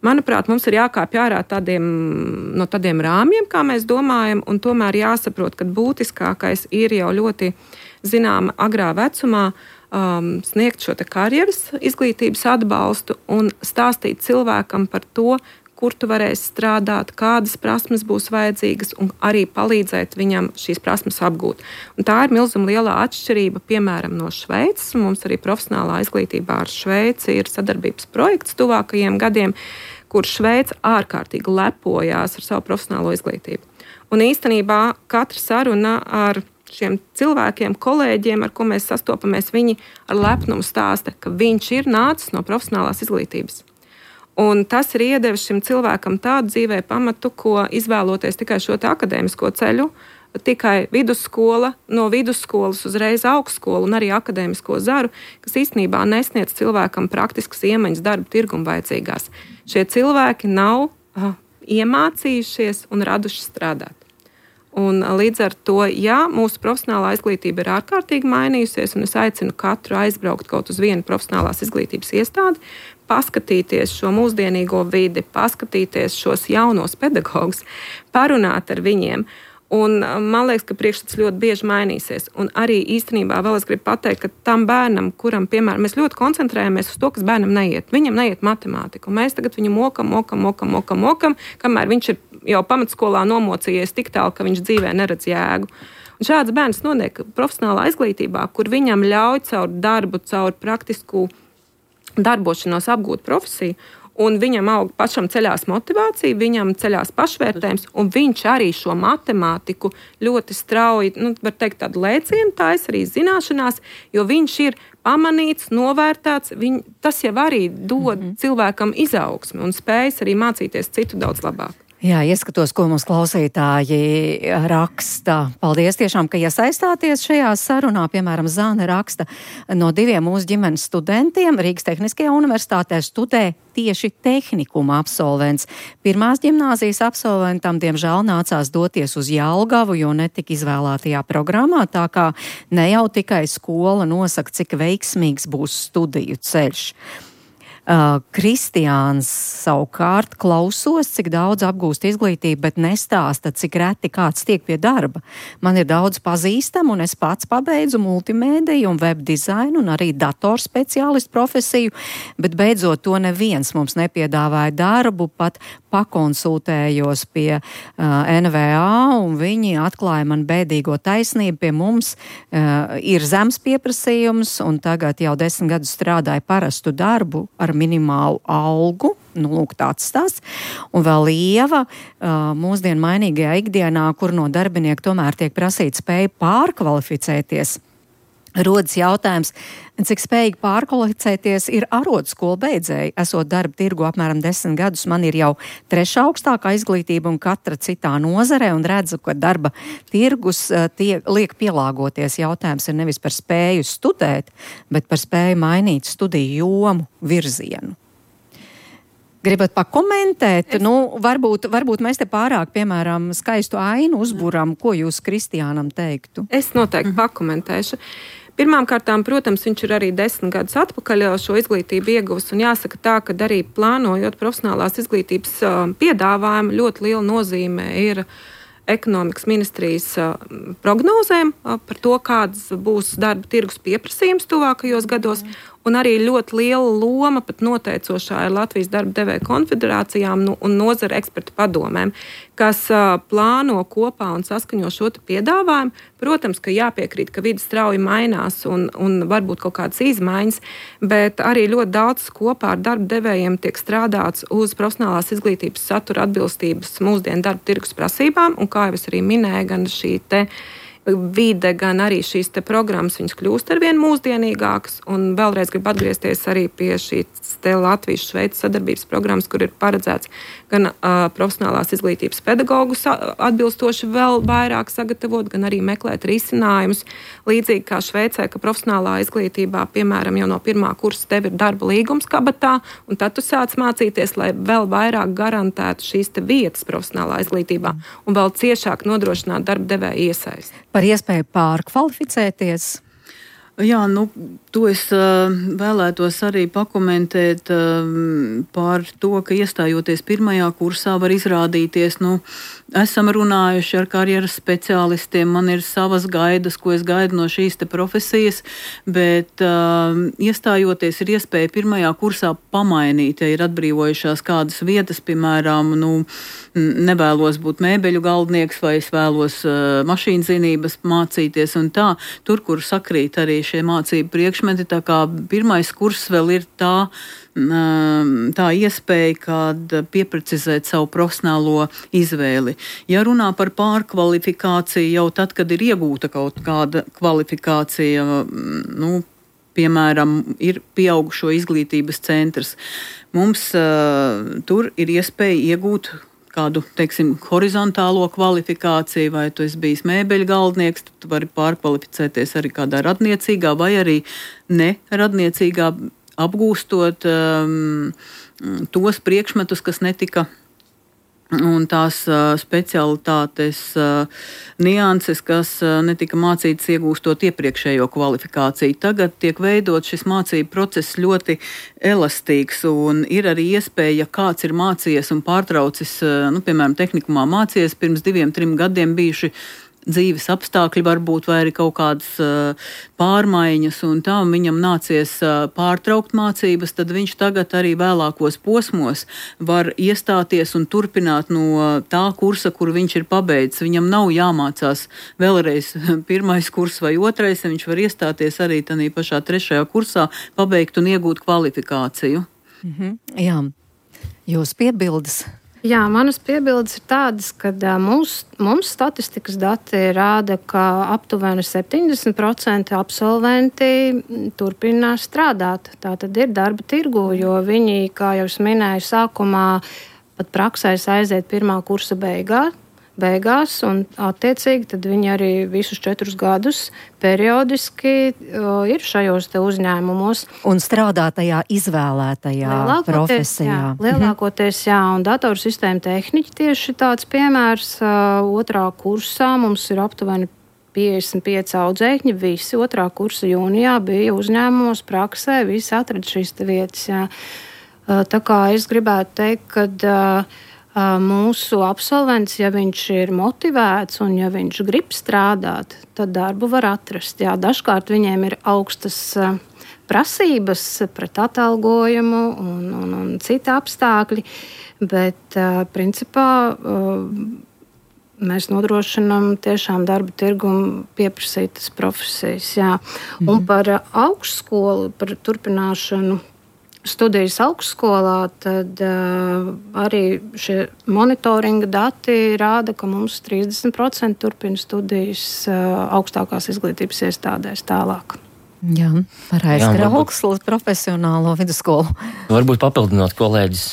F: manuprāt, mums ir jākāpj ārā no tādiem rāmjiem, kā mēs domājam, un tomēr jāsaprot, ka būtiskākais ir jau ļoti zināma agrā vecumā sniegt šo te karjeras izglītības atbalstu un stāstīt cilvēkam par to, kur tu varēsi strādāt, kādas prasmes būs vajadzīgas un arī palīdzēt viņam šīs prasmes apgūt. Un tā ir milzuma lielā atšķirība, piemēram, no Šveices. Mums arī profesionālā izglītībā ar Šveici ir sadarbības projekts tuvākajiem gadiem, kur Šveice ārkārtīgi lepojās ar savu profesionālo izglītību. Un īstenībā katra saruna ar šiem cilvēkiem, kolēģiem, ar ko mēs sastopamies, viņi ar lepnumu stāsta, ka viņš ir nācis no profesionālās izglītības. Un tas ir iedevis šim cilvēkam tādu dzīvē pamatu, ko izvēloties tikai šo akadēmisko ceļu, tikai vidusskola, no vidusskolas uzreiz augstskola un arī akadēmisko zaru, kas īstenībā nesniedz cilvēkam praktiskas iemaņas darba tirgum vajadzīgās. Šie cilvēki nav iemācījušies un raduši strādāt. Un līdz ar to, mūsu profesionālā izglītība ir ārkārtīgi mainījusies, un es aicinu katru aizbraukt kaut uz vienu profesionālās izglītības iestādi, paskatīties šo mūsdienīgo vidi, paskatīties šos jaunos pedagogus, parunāt ar viņiem. Un man liekas, ka priekšstats ļoti bieži mainīsies. Un arī īstenībā vēl es gribu pateikt, ka tam bērnam, kuram, piemēram, mēs ļoti koncentrējamies uz to, kas bērnam neiet. Viņam neiet matemātika. Un mēs tagad viņu mokam, kamēr viņš ir jau pamatskolā nomocījies tik tālu, ka viņš dzīvē neredz jēgu. Un šāds bērns noniek profesionālā izglītībā, kur viņam ļauj caur darbu, caur praktisku darbošanos apgūt profesiju, un viņam aug pašam ceļās motivācija, viņam ceļās pašvērtējums, un viņš arī šo matemātiku ļoti strauji, var teikt, tādu lēcienu taisa arī zināšanās, jo viņš ir pamanīts, novērtēts, tas jau arī dod cilvēkam izaugsmi un spējas arī mācīties citu daudz labāk.
C: Jā, ieskatos, ko mums klausītāji raksta. Paldies tiešām, ka iesaistāties šajā sarunā. Piemēram, Zāne raksta, no 2 mūsu ģimenes studentiem Rīgas Tehniskajā universitātē studē tieši tehnikuma absolvents. Pirmās ģimnāzijas absolventam, diemžēl, nācās doties uz Jelgavu, jo netika izvēlētajā programmā, tā kā ne jau tikai skola nosaka, cik veiksmīgs būs studiju ceļš. Kristiāns savukārt klausos, cik daudz apgūst izglītību, bet nestāsta, cik reti kāds tiek pie darba. Man ir daudz pazīstamu, un es pats pabeidzu multimēdiju un web dizainu un arī datorspeciālistu profesiju, bet beidzot to neviens mums nepiedāvāja darbu, pat pakonsultējos pie NVA, un viņi atklāja man bēdīgo taisnību. Pie mums ir zems pieprasījums, un tagad jau 10 gadus strādāju parastu darbu ar minimālu algu. Lūk, tāds stāsts. Un vēl Ieva, mūsdienu mainīgajā ikdienā, kur no darbinieka tomēr tiek prasīta spēja pārkvalificēties. Rodas jautājums, cik spējīgi pārkvalificēties ir arotskolu beidzēji. Esot darba tirgu apmēram 10 gadus, man ir jau 3. augstākā izglītība un katra citā nozarē, un redzu, ka darba tirgus liek pielāgoties. Jautājums ir nevis par spēju studēt, bet par spēju mainīt studiju jomu, virzienu. Gribat pakomentēt? Varbūt mēs te pārāk, piemēram, skaistu ainu uzburam. Ko jūs Kristiānam teiktu?
F: Es noteikti pakomentēšu. Pirmkārtām, protams, viņš ir arī 10 gadus atpakaļ šo izglītību ieguvis, un jāsaka tā, ka arī plānojot profesionālās izglītības piedāvājumu, ļoti liela nozīme ir ekonomikas ministrijas prognozēm par to, kāds būs darba tirgus pieprasījums tuvākajos gados, un arī ļoti liela loma pat noteicošā ir Latvijas darba devēja konfederācijām un nozara ekspertu padomēm, kas plāno kopā un saskaņo šo piedāvājumu. Protams, ka jāpiekrīt, ka vide strauji mainās un varbūt kaut kādas izmaiņas, bet arī ļoti daudz kopā ar darba devējiem tiek strādāts uz profesionālās izglītības satura atbilstības mūsdienu darba tirgus prasībām, un kā jau es arī minēju, gan šī te vide, gan arī šīs te programmas, viņas kļūst arvien mūsdienīgākas. Un vēlreiz gribu atgriezties arī pie šīs Latvijas-Šveices sadarbības programmas, kur ir paredzēts gan profesionālās izglītības pedagogus atbilstoši vēl vairāk sagatavot, gan arī meklēt risinājumus. Līdzīgi kā Šveicē, ka profesionālā izglītībā, piemēram, jau no 1. kursa tev ir darba līgums kabatā, un tad tu sāc mācīties, lai vēl vairāk garantētu šīs te vietas profesionālā izglītībā un vēl ciešāk nodrošināt darba devēja iesaisti.
C: Par iespēju pārkvalificēties.
D: Jā, to es vēlētos arī pakomentēt par to, ka iestājoties 1. kursā var izrādīties, esam runājuši ar karjeras speciālistiem, man ir savas gaidas, ko es gaidu no šīs te profesijas, bet iestājoties ir iespēja 1. kursā pamainīt, ja ir atbrīvojušās kādas vietas, piemēram, nevēlos būt mēbeļu galdnieks vai es vēlos mašīnzinības mācīties un tā, tur, kur sakrīt arī šie mācību priekšmeti, tā kā 1. kurs vēl ir tā iespēja, kad pieprecizēt savu profesionālo izvēli. Ja runā par pārkvalifikāciju jau tad, kad ir iegūta kaut kāda kvalifikācija, piemēram, ir pieaugušo izglītības centrs, mums tur ir iespēja iegūt kādu, horizontālo kvalifikāciju, vai tu esi bijis mēbeļu galdnieks, tu vari pārkvalificēties arī kādā radniecīgā vai arī neradniecīgā, apgūstot tos priekšmetus, kas netika, un tās specialitātes nianses, kas netika mācītas iegūstot iepriekšējo kvalifikāciju. Tagad tiek veidot šis mācību process ļoti elastīgs, un ir arī iespēja, ja kāds ir mācījies un pārtraucis, piemēram, tehnikumā mācījies pirms 2-3 gadiem bijuši dzīves apstākļi varbūt vai arī kaut kādas pārmaiņas un tā, un viņam nācies pārtraukt mācības, tad viņš tagad arī vēlākos posmos var iestāties un turpināt no tā kursa, kur viņš ir pabeidzis. Viņam nav jāmācās vēlreiz 1. kurs vai 2, viņš var iestāties arī tādā pašā 3. kursā, pabeigt un iegūt kvalifikāciju.
C: Jā, jūs piebildes?
E: Jā, manas piebildes ir tādas, ka mums statistikas dati rāda, ka aptuveni 70% absolventi turpina strādāt. Tā tad ir darba tirgu, jo viņi, kā jau es minēju sākumā, pat praksēs aiziet 1. kursa beigās, un attiecīgi tad viņi arī visus 4 gadus periodiski ir šajos te uzņēmumos.
C: Un strādā tajā izvēlētajā profesijā.
E: Lielākoties, jā, un datorsistēma tehniķi tieši tāds piemērs. 2. kursā mums ir aptuveni 55 audzēkņi, visi 2. kursa jūnijā bija uzņēmumos praksē, visi atrada šīs te vietas, jā. Tā kā es gribētu teikt, ka mūsu absolvents, ja viņš ir motivēts un ja viņš grib strādāt, tad darbu var atrast. Jā, dažkārt viņiem ir augstas prasības pret atalgojumu un citi apstākļi, bet principā mēs nodrošinām tiešām darba tirgumu pieprasītas profesijas. Jā. Un par augstskolu, par turpināšanu studijas augstskolā, tad arī šie monitoringa dati rāda, ka mums 30% turpina studijas augstākās izglītības iestādēs tālāk.
C: Jā, par augstskolu profesionālo vidusskolu.
G: Varbūt papildinot kolēģis,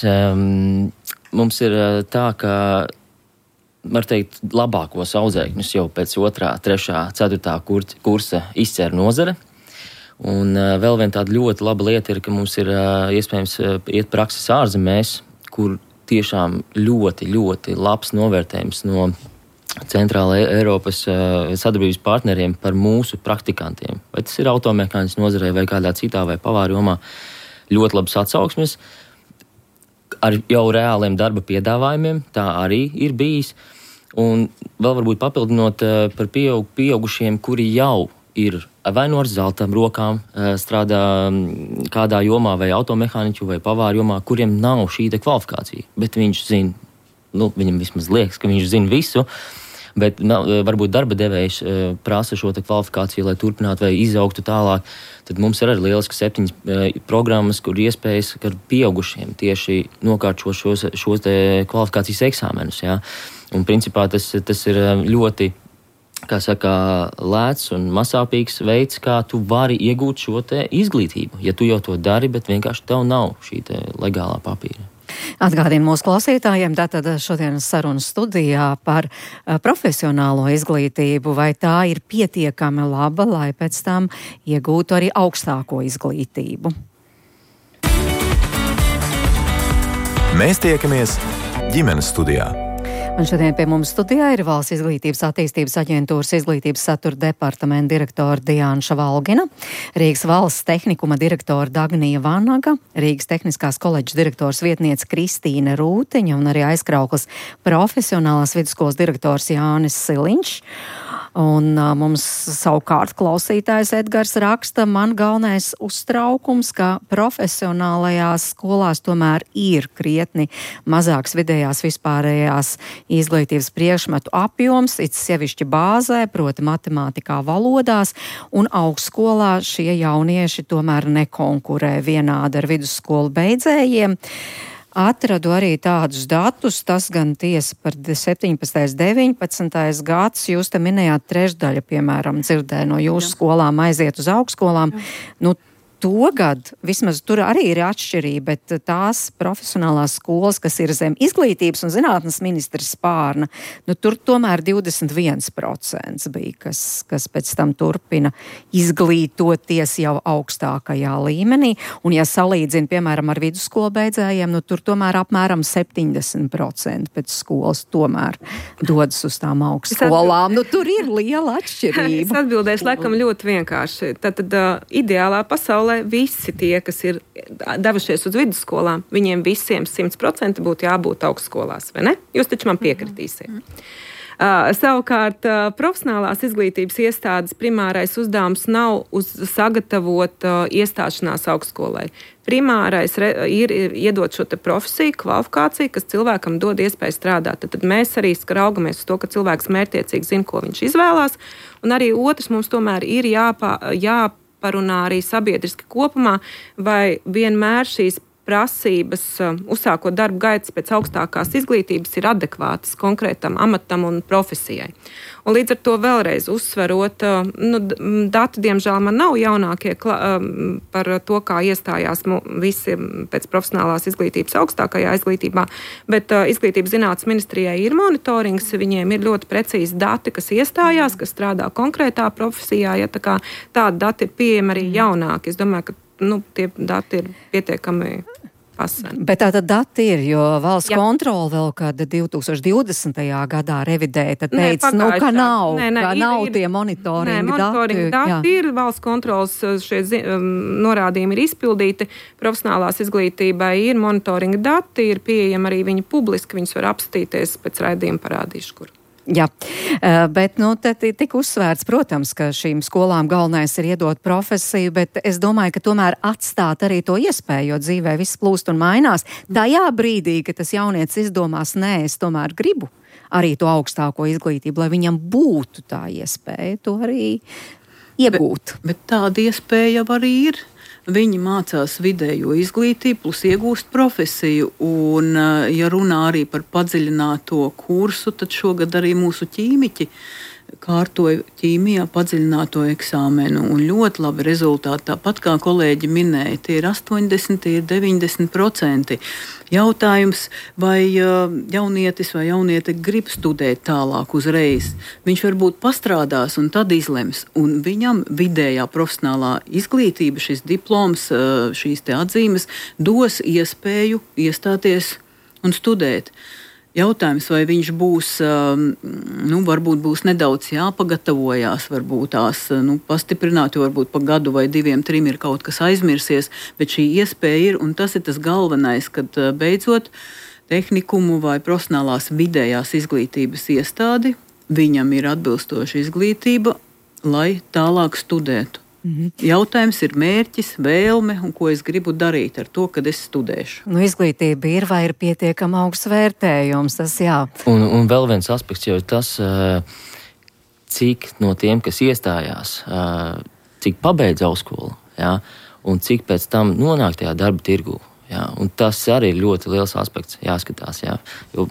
G: mums ir tā, ka var teikt, labākos audzēkņus jau pēc 2., 3., 4. kursa izcer nozare. Un vēl viena tāda ļoti laba lieta ir, ka mums ir iespējams iet prakses ārzemēs, kur tiešām ļoti, ļoti labs novērtējums no Centrāla Eiropas sadarbības partneriem par mūsu praktikantiem. Vai tas ir automehānikas nozarē vai kādā citā vai pavāru jomā, ļoti labas atsauksmes ar jau reāliem darba piedāvājumiem, tā arī ir bijis. Un vēl varbūt papildinot par pieaugušiem, kuri jau ir vai no ar zelta rokām strādā kādā jomā, vai automehāniķu, vai pavāru jomā, kuriem nav šī kvalifikācija. Bet viņš zina, viņam vismaz liekas, ka viņš zina visu, bet varbūt darba devējs prasa šo kvalifikāciju, lai turpinātu vai izaugtu tālāk. Tad mums ir arī lieliski 7 programmas, kur iespējas ar pieaugušiem tieši nokārtot šos kvalifikācijas eksāmenus. Jā. Un principā tas ir ļoti lēts un mazsāpīgs veids, kā tu vari iegūt šo te izglītību. Ja tu jau to dari, bet vienkārši tev nav šī te legālā papīra.
C: Atgādinu mūsu klausītājiem, tātad šodienas sarunas studijā par profesionālo izglītību, vai tā ir pietiekami laba, lai pēc tam iegūtu arī augstāko izglītību.
B: Mēs tiekamies ģimenes studijā.
C: Un šodien pie mums studijā ir Valsts izglītības attīstības aģentūras izglītības satura departamenta direktora Diāna Valgina, Rīgas valsts tehnikuma direktora Dagnija Vanaga, Rīgas tehniskās koledžas direktors vietniece Kristīne Rūtiņa un arī Aizkrauklas profesionālās vidusskolas direktors Jānis Siliņš. Un mums savukārt klausītājs Edgars raksta, man galvenais uztraukums, ka profesionālajās skolās tomēr ir krietni mazāks vidējās vispārējās izglītības priekšmetu apjoms, it sevišķi bāzē, proti matemātikā, valodās, un augstskolā šie jaunieši tomēr nekonkurē vienādi ar vidusskolu beidzējiem. Atradu arī tādus datus, tas gan tiesa par 17. 19. gads, jūs te minējāt trešdaļa, piemēram, dzirdēja no jūsu skolām aiziet uz augstskolām. Nu, Togad, vismaz tur arī ir atšķirība, bet tās profesionālās skolas, kas ir zem izglītības un zinātnes ministra spārna, nu tur tomēr 21% bija, kas pēc tam turpina izglītoties jau augstākajā līmenī. Un ja salīdzina, piemēram, ar vidusskolu beidzējiem, nu tur tomēr apmēram 70% pēc skolas tomēr dodas uz tām augstskolām. Nu tur ir liela atšķirība.
F: Es atbildēšu laikam ļoti vienkārši. Tātad ideālā pasaulē visi tie, kas ir devušies uz vidusskolām, viņiem visiem 100% būtu jābūt augstskolās, vai ne? Jūs taču man piekritīsiet. Savukārt, profesionālās izglītības iestādes primārais uzdevums nav sagatavot iestāšanās augstskolai. Primārais ir iedot šo te profesiju, kvalifikāciju, kas cilvēkam dod iespēju strādāt. Tad mēs arī raugamies uz to, ka cilvēks mērķtiecīgi zina, ko viņš izvēlās. Un arī otrs mums tomēr ir jāparunā arī sabiedriski kopumā, vai vienmēr šīs prasības, uzsākot darbu gaitas pēc augstākās izglītības, ir adekvātas konkrētam amatam un profesijai. Un līdz ar to vēlreiz uzsverot, dati, diemžēl, man nav jaunākie par to, kā iestājās visi pēc profesionālās izglītības augstākajā izglītībā, bet Izglītības zinātnes ministrijai ir monitorings, viņiem ir ļoti precīzi dati, kas iestājās, kas strādā konkrētā profesijā, ja tā kā tādi dati ir pieejami arī jaunāki. Es domāju, ka tie dati ir pietiekami paseni.
C: Bet tātad dati ir, jo valsts kontrole vēl kāda 2020. gadā revidēja, tad teica, ka nav tie monitoringa
F: dati. Ir valsts kontroles šie norādījumi ir izpildīti, profesionālās izglītībai ir monitoringa dati, ir pieejami arī viņi publiski, viņus var apstīties, pēc raidījuma parādīšu, kur.
C: Jā, bet te tika uzsvērts, protams, ka šīm skolām galvenais ir iedot profesiju, bet es domāju, ka tomēr atstāt arī to iespēju, jo dzīvē viss plūst un mainās. Tajā brīdī, ka tas jaunietis izdomās, es tomēr gribu arī to augstāko izglītību, lai viņam būtu tā iespēja to arī iegūt.
D: Bet tāda iespēja jau arī ir. Viņi mācās vidējo izglītību, plus iegūst profesiju. Un, ja runā arī par padziļināto kursu, tad šogad arī mūsu ķīmiķi kārtoja ķīmijā padziļināto eksāmenu. Un ļoti labi rezultāti. Tāpat kā kolēģi minēja, tie ir 80, tie ir 90%. Jautājums, vai jaunietis vai jauniete grib studēt tālāk uzreiz. Viņš varbūt pastrādās un tad izlems. Un viņam vidējā profesionālā izglītība, šis diploms, šīs te atzīmes, dos iespēju iestāties un studēt. Jautājums, vai viņš būs, varbūt būs nedaudz jāpagatavojās, varbūt tās pastiprināt, jo varbūt pa gadu vai 2, 3 ir kaut kas aizmirsies, bet šī iespēja ir, un tas ir tas galvenais, kad beidzot tehnikumu vai profesionālās vidējās izglītības iestādi, viņam ir atbilstoša izglītība, lai tālāk studētu. Jautājums ir mērķis, vēlme un ko es gribu darīt ar to, kad es studēšu.
C: Izglītība ir vai ir pietiekama augsts vērtējums, tas jā.
G: Un vēl viens aspekts jau ir tas, cik no tiem, kas iestājās, cik pabeidz augstskolu, un cik pēc tam nonāk tajā darba tirgū. Un tas arī ir ļoti liels aspekts jāskatās. Jo,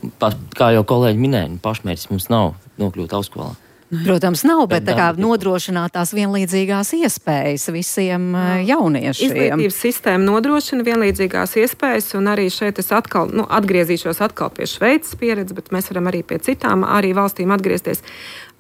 G: kā jau kolēģi minēja, pašmērķis mums nav nokļūt augstskolā.
C: Protams, nav, bet tā kā nodrošināt tās vienlīdzīgās iespējas visiem jauniešiem.
F: Izglītības sistēma nodrošina vienlīdzīgās iespējas, un arī šeit es atkal, atgriezīšos pie Šveices pieredzes, bet mēs varam arī pie citām arī valstīm atgriezties.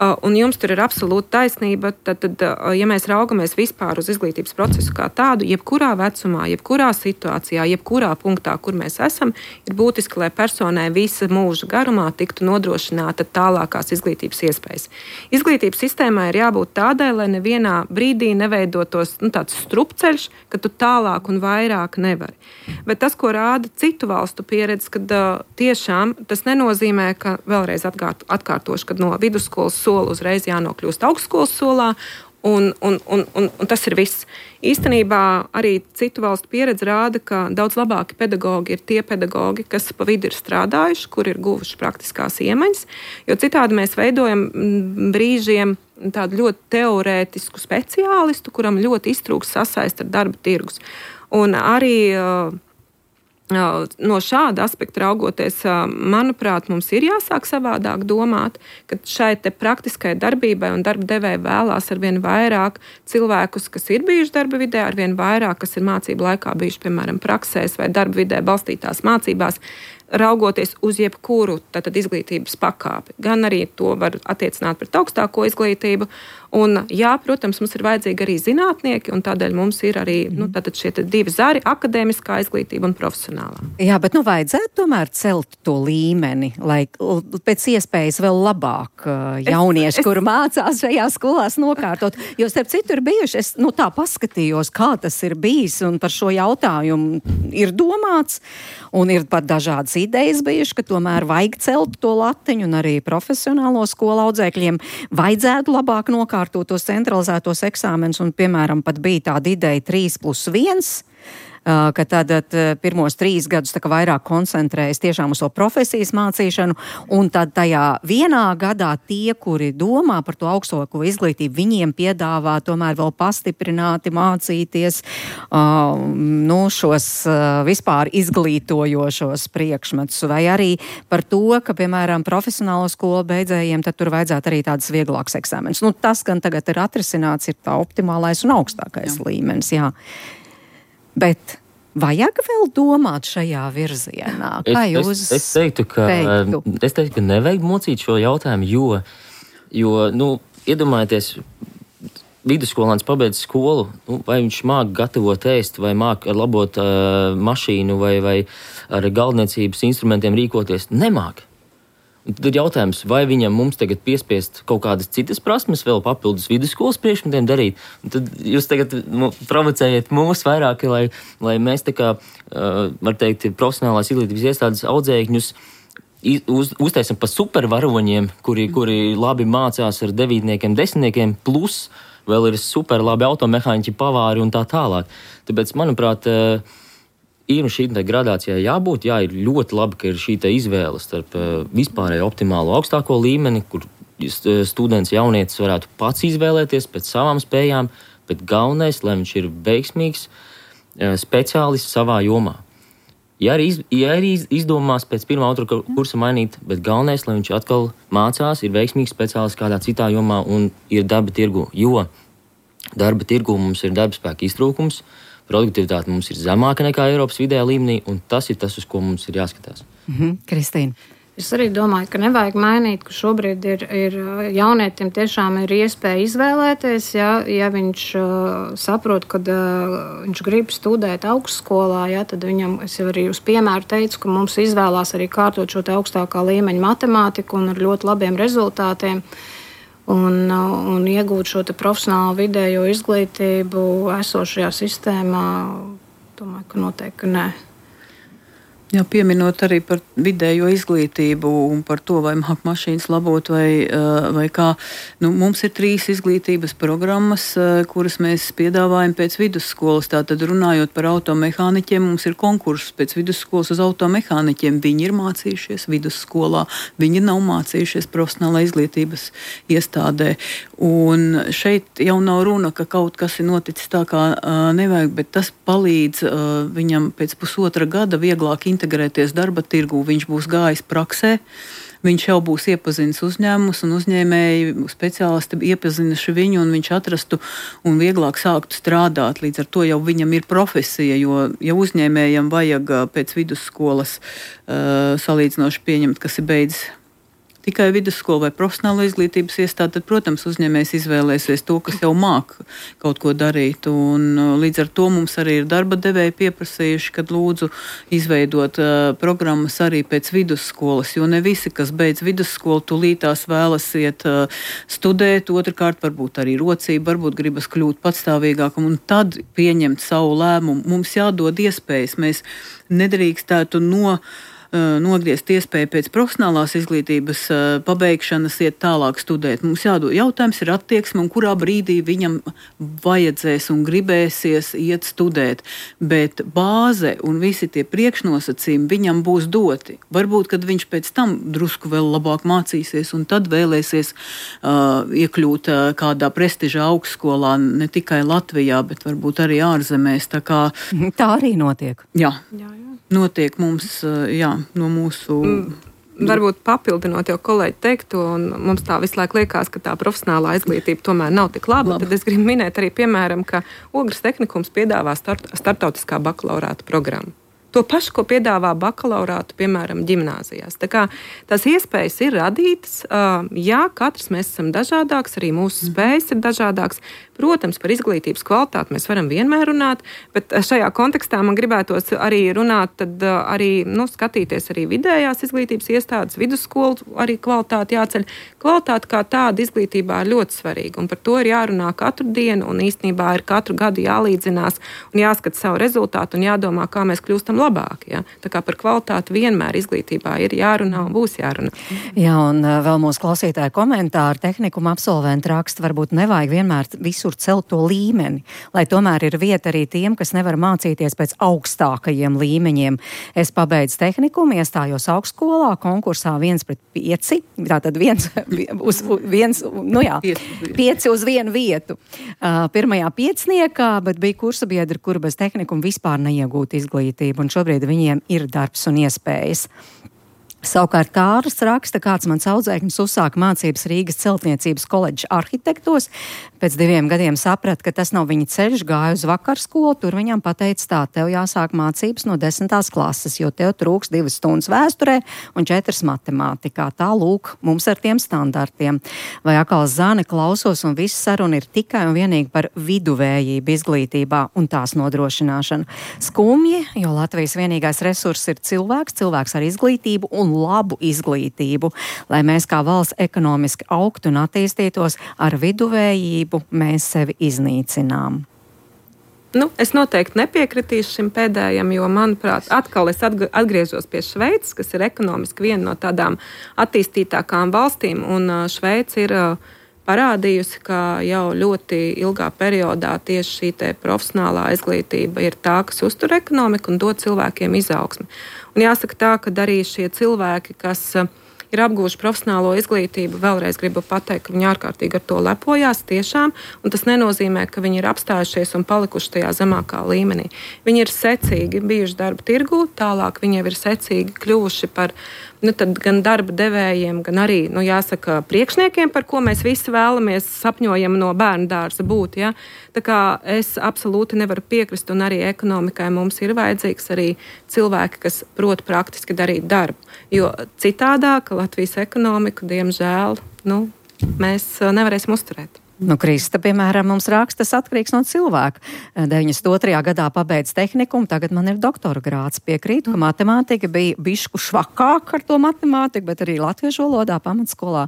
F: Un jums tur ir absolūta taisnība, tad, ja mēs raugamies vispār uz izglītības procesu kā tādu, jebkurā vecumā, jebkurā situācijā, jebkurā punktā, kur mēs esam, ir būtiski, lai personai visa mūža garumā tiktu nodrošināta tālākās izglītības iespējas. Izglītības sistēmai ir jābūt tādai, lai nevienā brīdī neveidotos tāds strupceļš, ka tu tālāk un vairāk nevari. Bet tas, ko rāda citu valstu pieredze, kad tiešām tas nenozīmē, ka vēlreiz atkārtošu, kad no vidusskolas uzreiz jānokļūst augstskolas solā, un tas ir viss. Īstenībā arī citu valstu pieredze rāda, ka daudz labāki pedagogi ir tie pedagogi, kas pa vidu ir strādājuši, kur ir guvuši praktiskās iemaņas, jo citādi mēs veidojam brīžiem tādu ļoti teorētisku speciālistu, kuram ļoti iztrūks sasaist ar darba tirgus. Un arī no šāda aspekta raugoties, manuprāt, mums ir jāsāk savādāk domāt, ka šai te praktiskai darbībai un darba devēja vēlās arvien vairāk cilvēkus, kas ir bijuši darba vidē, arvien vairāk, kas ir mācību laikā bijuši, piemēram, praksēs vai darba vidē balstītās mācībās, raugoties uz jebkuru izglītības pakāpi. Gan arī to var attiecināt pret augstāko izglītību. Un, jā, protams, mums ir vajadzīgi arī zinātnieki, un tādēļ mums ir arī šie divi zari - akadēmiskā izglītība un profesionālā.
C: Jā, bet vajadzētu tomēr celt to līmeni, lai pēc iespējas vēl labāk jaunieši, kuri mācās šajā skolās, nokārtot. Jo starp citu ir bijuši, es tā paskatījos, kā tas ir bijis, un par šo jautājumu ir domāts, un ir pat dažādas idejas bijuši, ka tomēr vajag celt to latiņu, un arī profesionālo skolu audzēkļiem vajadzētu labāk nokārtot tos centralizētos eksāmenus, un, piemēram, pat bija tāda ideja 3+1, ka tad pirmos 3 gadus vairāk koncentrējas tiešām uz to profesijas mācīšanu, un tad tajā vienā gadā tie, kuri domā par to augstāko izglītību, viņiem piedāvā tomēr vēl pastiprināti mācīties šos vispār izglītojošos priekšmetus, vai arī par to, ka, piemēram, profesionālo skolu beidzējiem, tad tur vajadzētu arī tādas vieglākas eksāmenes. Tas gan tagad ir atrisināts, ir tā optimālais un augstākais līmenis, jā. Bet vajag vēl domāt šajā virzienā? Kā jūs
G: es teiktu, ka nevajag mocīt šo jautājumu, jo iedomājieties, vidusskolāns pabeidz skolu, vai viņš māk gatavot ēst, vai māk labot mašīnu, vai ar galdniecības instrumentiem rīkoties? Nemāk. Un tad ir jautājums, vai viņam mums tagad piespiest kaut kādas citas prasmes vēl papildus vidusskolas priekšmetiem darīt. Un tad jūs tagad provocējat mūs vairāk, lai mēs var teikt, profesionālās izglītības iestādes audzēkņus uztaisam pa supervaroņiem, kuri labi mācās ar 9, 10, plus vēl ir super labi automehāniķi, pavāri un tā tālāk. Tāpēc, manuprāt, ir šī gradācijā jābūt, ir ļoti labi, ka ir šī izvēle starp vispārēju optimālo augstāko līmeni, kur students jaunietis varētu pats izvēlēties pēc savām spējām, bet galvenais, lai viņš ir veiksmīgs speciālists savā jomā. Ja arī izdomās pēc 1. 2. kursa mainīt, bet galvenais, lai viņš atkal mācās, ir veiksmīgs speciālists kādā citā jomā un ir darba tirgu, jo darba tirgu mums ir darbspēka iztrūkums, produktivitāte mums ir zemāka nekā Eiropas vidējā līmenī, un tas ir tas, uz ko mums ir jāskatās.
C: Kristīna.
E: Es arī domāju, ka nevajag mainīt, ka šobrīd ir jaunietim tiešām ir iespēja izvēlēties, ja viņš saprot, kad viņš grib studēt augstskolā, tad viņam, es jau arī uz piemēru teicu, ka mums izvēlās arī kārtot šo te augstākā līmeņa matemātiku un ar ļoti labiem rezultātiem. Un iegūt šo profesionālo vidējo izglītību esošajā sistēmā, domāju, ka noteikti nē.
D: Jā, pieminot arī par vidējo izglītību un par to, vai māk mašīnas labot vai kā. Mums ir 3 izglītības programmas, kuras mēs piedāvājam pēc vidusskolas. Tātad runājot par automehāniķiem, mums ir konkurss pēc vidusskolas uz automehāniķiem. Viņi ir mācījušies vidusskolā, viņi nav mācījušies profesionālā izglītības iestādē. Un šeit jau nav runa, ka kaut kas ir noticis tā, kā nevajag, bet tas palīdz viņam pēc pusotra gada vieglāk integrēt integrēties darba tirgū, viņš būs gājis praksē. Viņš jau būs iepazinis uzņēmumus un uzņēmēji, speciālisti iepazinuši viņu, un viņš atrastu un vieglāk sāktu strādāt. Līdz ar to jau viņam ir profesija, jo ja uzņēmējam vajag pēc vidusskolas salīdzinoši pieņemt, kas ir beidzis tikai vidusskolu vai profesionālo izglītības iestādi, tad, protams, uzņēmējs izvēlēsies to, kas jau māk kaut ko darīt. Un līdz ar to mums arī ir darba devēji pieprasījuši, kad lūdzu izveidot programmas arī pēc vidusskolas, jo ne visi, kas beidz vidusskolu, tūlītās vēlas iet studēt, otrkārt varbūt arī rocība, varbūt gribas kļūt patstāvīgākam un tad pieņemt savu lēmumu. Mums jādod iespējas, mēs nedrīkstētu nogriezt iespēju pēc profesionālās izglītības pabeigšanas iet tālāk studēt. Mums jādod jautājums ir attieksme, un kurā brīdī viņam vajadzēs un gribēsies iet studēt. Bet bāze un visi tie priekšnosacījumi viņam būs doti. Varbūt, kad viņš pēc tam drusku vēl labāk mācīsies un tad vēlēsies iekļūt kādā prestižā augstskolā, ne tikai Latvijā, bet varbūt arī ārzemēs.
C: Tā arī notiek.
D: Jā. Notiek mums, no mūsu...
F: Varbūt papildinot jau kolēģi teikto, un mums tā visu laiku liekas, ka tā profesionālā izglītība tomēr nav tik laba. Tad es gribu minēt arī, piemēram, ka Ogres tehnikums piedāvā starptautiskā bakalaurāta programmu. To pašu, ko piedāvā bakalaurātu, piemēram, ģimnāzijās. Tā kā tās iespējas ir radītas, jā, katrs mēs esam dažādāks, arī mūsu spējas ir dažādāks. Protams, par izglītības kvalitāti mēs varam vienmēr runāt, bet šajā kontekstā man gribētos arī runāt, tad arī skatīties arī vidējās izglītības iestādes, vidusskolu arī kvalitāti jāceļ. Kvalitāte kā tāda izglītībā ir ļoti svarīga, un par to ir jārunā katru dienu, un īstenībā ir katru gadu jālīdzinās un jāskat savu rezultātu un jādomā, kā mēs kļūstam labāk. Ja? Tā kā par kvalitāti vienmēr izglītībā ir jārunā un būs jārunā.
C: Jā, un vēl mūsu klausītāju komentāri tehnikuma absolventi raksta, varbūt nevajag vienmēr visur celt to līmeni, lai tomēr ir vieta arī tiem, kas nevar mācīties pēc augstākajiem līmeņiem. Es pabeidzu tehnikumu, iestājos augstskolā, konkursā 1/5, tātad 5 uz 1 vietu. Pirmajā piecniekā, bet bija kursabiedri, kuri bez tehnikuma vispār neiegūtu izglītību, un šobrīd viņiem ir darbs un iespējas. Savukārt Kārlis raksta, kāds mans audzēknis uzsāka mācības Rīgas celtniecības koledžas arhitektos. Pēc 2 gadiem saprata, ka tas nav viņa ceļš, gāja uz vakarskolu, tur viņam pateica tā, tev jāsāk mācības no 10. klases, jo tev trūks 2 stundas vēsturē un 4 matemātikā. Tā lūk, mums ar tiem standartiem. Vai atkal zāne klausos un viss saruna ir tikai un vienīgi par viduvējību izglītībā un tās nodrošināšanu. Skumji, jo Latvijas vienīgais resurss ir cilvēks ar izglītību un labu izglītību, lai mēs kā valsts ekonomiski augtu un attīstītos, ar viduvējību mēs sevi iznīcinām.
F: Es noteikti nepiekritīšu šim pēdējam, jo, manuprāt, atkal es atgriežos pie Šveices, kas ir ekonomiski viena no tādām attīstītākām valstīm, un Šveice ir parādījusi, ka jau ļoti ilgā periodā tieši šī te profesionālā izglītība ir tā, kas uztur ekonomiku un dod cilvēkiem izaugsmi. Un jāsaka tā, ka arī šie cilvēki, kas ir apgūši profesionālo izglītību, vēlreiz gribu pateikt, ka viņi ārkārtīgi ar to lepojās tiešām, un tas nenozīmē, ka viņi ir apstājušies un palikuši tajā zemākā līmenī. Viņi ir secīgi bijuši darba tirgū, tālāk viņi jau ir secīgi kļuvuši par gan darba devējiem, gan arī, jāsaka, priekšniekiem, par ko mēs visi vēlamies, sapņojam no bērnu dārza būt. Ja? Tā kā es absolūti nevaru piekrist, un arī ekonomikai mums ir vajadzīgs arī cilvēki, kas prot praktiski darīt darbu. Jo citādāk Latvijas ekonomiku, diemžēl, mēs nevarēsim uzturēt.
C: Krista, piemēram, mums raksta, tas atkarīgs no cilvēka. 92. gadā pabeidz tehnikumu, tagad man ir doktora grāds. Piekrītu, ka matemātika bija bišku švakāk ar to matemātiku, bet arī latviešu valodā pamatskolā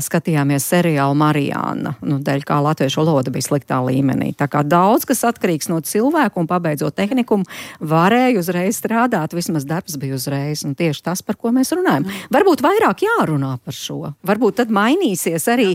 C: skatījāmies seriālu Marijāna, dēļ kā latviešu valoda bija sliktā līmenī. Tā kā daudz, kas atkarīgs no cilvēku, un pabeidzot tehnikumu, varēja uzreiz strādāt, vismaz darbs bija uzreiz, un tieši tas, par ko mēs runājam. Varbūt vairāk jārunā par šo. Varbūt tad mainīsies arī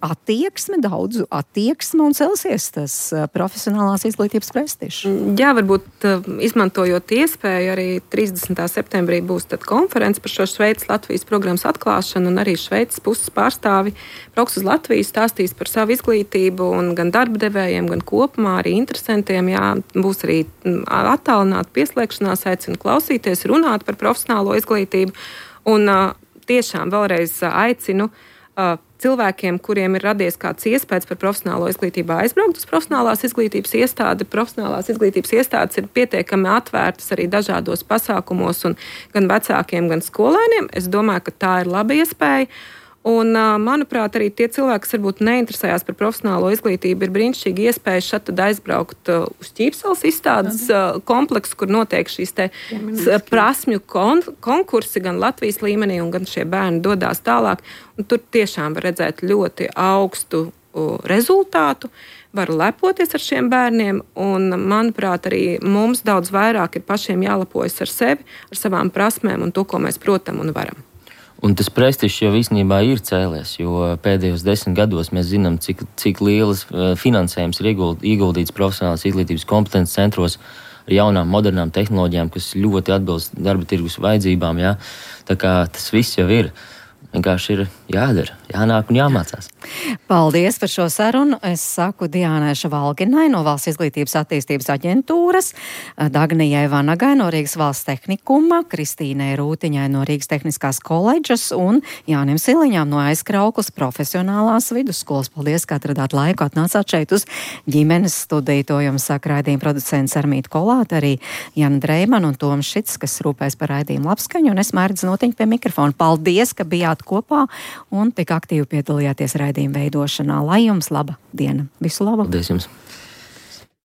C: attieksme, daudzu attieksme un celsies tas profesionālās izglītības prestižs.
F: Jā, varbūt izmantojot iespēju, arī 30. septembrī būs tad konference par šo Šveices Latvijas programmas atklāšanu, un arī Šveices puses pārstāvi brauks uz Latviju, stāstīs par savu izglītību, un gan darba devējiem, gan kopumā arī interesantiem. Jā, būs arī attālināta pieslēgšanās, aicinu klausīties, runāt par profesionālo izglītību, un tiešām vēlreiz aicinu cilvēkiem, kuriem ir radies kāds iespējas par profesionālo izglītību, aizbraukt uz profesionālās izglītības iestādi. Profesionālās izglītības iestādes ir pietiekami atvērtas arī dažādos pasākumos, un gan vecākiem, gan skolēniem. Es domāju, ka tā ir laba iespēja. Un, manuprāt, arī tie cilvēki, kas varbūt neinteresējās par profesionālo izglītību, ir brīnišķīgi iespēja šad aizbraukt uz Ķīpseles izstādes kompleksu, kur notiek šīs prasmju konkursi gan Latvijas līmenī, un gan šie bērni dodās tālāk. Un tur tiešām var redzēt ļoti augstu rezultātu, var lepoties ar šiem bērniem, un, manuprāt, arī mums daudz vairāk ir pašiem jālepojas ar sevi, ar savām prasmēm un to, ko mēs protam un varam.
G: Un tas prestižs jau īstenībā ir cēlies, jo pēdējos 10 gados mēs zinām, cik lielas finansējums ir ieguldīts profesionālās izglītības kompetences centros ar jaunām, modernām tehnoloģijām, kas ļoti atbilst darba tirgus vajadzībām. Jā. Tā kā tas viss jau ir. Vienkārši ir jādara, jānāk un jāmācās.
C: Paldies par šo sarunu. Es saku Diānai Šavalginai no Valsts izglītības attīstības aģentūras, Dagnijai Vanagai no Rīgas valsts tehnikuma, Kristīnai Rūtiņai no Rīgas tehniskās koledžas un Jānim Siliņām no Aizkrauklas profesionālās vidusskolas. Paldies, ka atradāt laiku, atnācāt šeit uz ģimenes studiju. To jums saka raidījuma producents Armīta Kolāte, arī Jana Dreimana un Toms Šits, kas rūpēs par raidījumu labskaņu, un es Mērģis Notiņa pie mikrofona. Paldies, ka bijāt kopā un tik aktīvi piedalījāties raidījuma veidošanā. Lai jums laba diena. Visu labu!
G: Paldies jums!